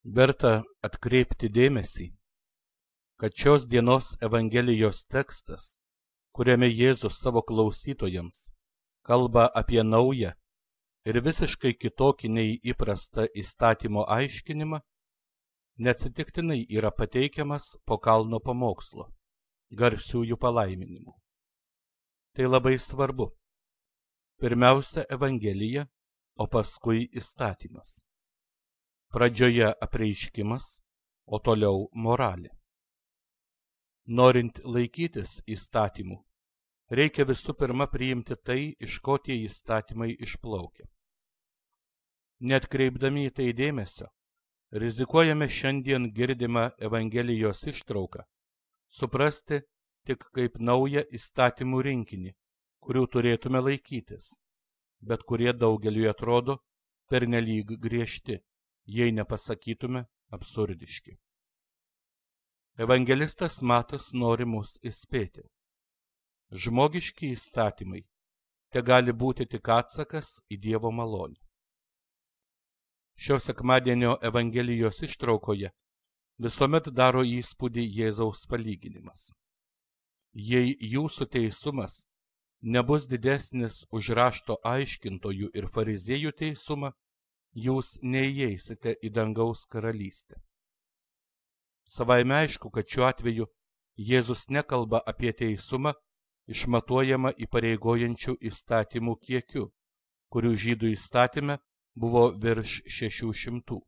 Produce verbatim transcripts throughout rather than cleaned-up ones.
Verta atkreipti dėmesį, kad šios dienos Evangelijos tekstas, kuriame Jėzus savo klausytojams kalba apie naują ir visiškai kitokį nei įprastą įstatymo aiškinimą, neatsitiktinai yra pateikiamas po kalno pamokslo, garsiųjų palaiminimų. Tai labai svarbu. Pirmiausia Evangelija, o paskui įstatymas. Pradžioje apreiškimas, o toliau moralė. Norint laikytis įstatymų, reikia visų pirma priimti tai, iš ko tie įstatymai išplaukia. Neatkreipdami į tai dėmesio, rizikuojame šiandien girdimą Evangelijos ištrauką suprasti tik kaip naują įstatymų rinkinį, kurių turėtume laikytis, bet kurie daugeliui atrodo pernelyg griežti, jei nepasakytume absurdiški. Evangelistas Matas nori mus įspėti. Žmogiški įstatymai te gali būti tik atsakas į Dievo malonę. Šio sekmadienio Evangelijos ištraukoje visuomet daro įspūdį Jėzaus palyginimas. Jei jūsų teisumas nebus didesnis už rašto aiškintojų ir fariziejų teisumą, jūs neįeisite į dangaus karalystę. Savaime aišku, kad šiuo atveju Jėzus nekalba apie teisumą išmatuojamą įpareigojančių įstatymų kiekiu, kurių žydų įstatyme buvo virš šešių šimtų.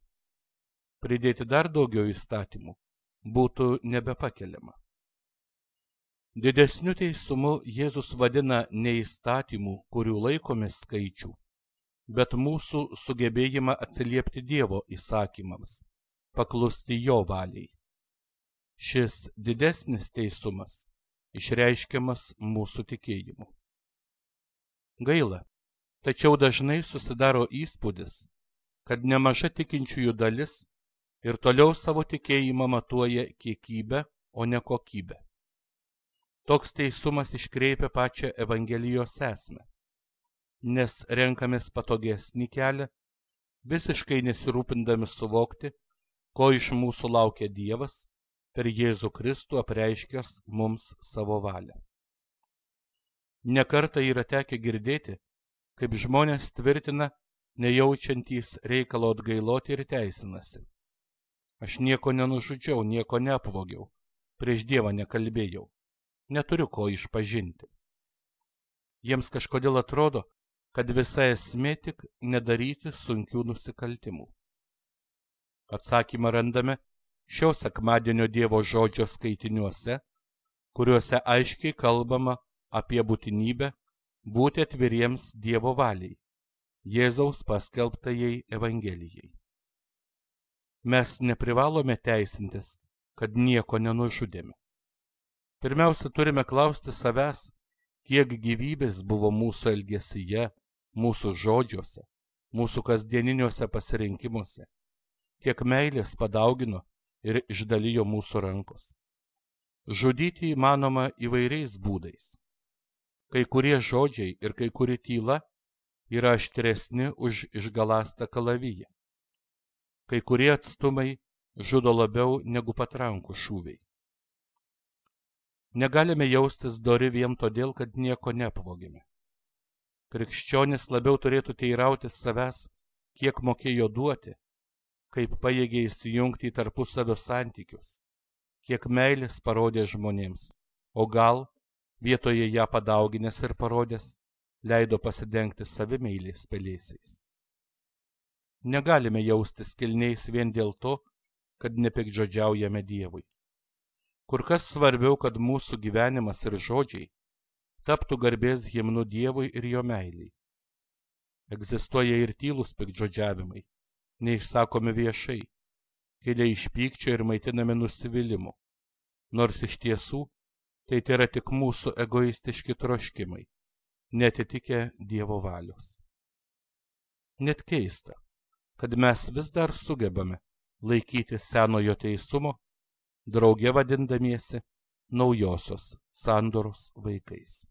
Pridėti dar daugiau įstatymų būtų nebepakeliama. Didesniu teisumu Jėzus vadina ne įstatymų, kurių laikomės skaičių, bet mūsų sugebėjimą atsiliepti Dievo įsakymams, paklusti Jo valiai. Šis didesnis teisumas išreiškiamas mūsų tikėjimu. Gaila, tačiau dažnai susidaro įspūdis, kad nemaža tikinčiųjų dalis ir toliau savo tikėjimą matuoja kiekybę, o ne kokybę. Toks teisumas iškreipia pačią Evangelijos esmę, nes renkamės patogesnį kelią, visiškai nesirūpindami suvokti, ko iš mūsų laukia Dievas per Jėzų Kristų apreiškęs mums savo valią. Nekartą yra tekę girdėti, kaip žmonės tvirtina, nejaučiantys reikalo atgailoti ir teisinasi. Aš nieko nenužudžiau, nieko neapvogiau, prieš Dievą nekalbėjau, neturiu ko išpažinti. Jiems kažkodėl atrodo, kad visa esmė tik nedaryti sunkių nusikaltimų. Atsakymą randame šio sekmadienio Dievo žodžio skaitiniuose, kuriuose aiškiai kalbama apie būtinybę būti atviriems Dievo valiai, Jėzaus paskelbtajai Evangelijai. Mes neprivalome teisintis, kad nieko nenužudėme. Pirmiausia, turime klausti savęs, kiek gyvybės buvo mūsų elgesyje, mūsų žodžiuose, mūsų kasdieniniuose pasirinkimuose, kiek meilės padaugino ir išdalijo mūsų rankos. Žudyti įmanoma įvairiais būdais. Kai kurie žodžiai ir kai kuri tyla yra aštresni už išgalastą kalaviją. Kai kurie atstumai žudo labiau negu patrankų šūviai. Negalime jaustis dori vien todėl, kad nieko neapvogėme. Krikščionis labiau turėtų teirautis savęs, kiek mokėjo duoti, kaip pajėgė įsijungti į tarpusavio santykius, kiek meilės parodė žmonėms, o gal, vietoje ją padauginęs ir parodęs, leido pasidengti savimeilės pelėsiais. Negalime jaustis kilniais vien dėl to, kad nepikdžodžiaujame Dievui. Kur kas svarbiau, kad mūsų gyvenimas ir žodžiai taptų garbės himnu Dievui ir Jo meiliai. Egzistuoja ir tylūs pikdžodžiavimai, neišsakomi viešai, kilę iš pykčio ir maitinami nusivylimu, nors iš tiesų tai yra tik mūsų egoistiški troškimai, netitikę Dievo valios. Net keista, kad mes vis dar sugebame laikyti senojo teisumo, drauge vadindamiesi naujosios sandoros vaikais.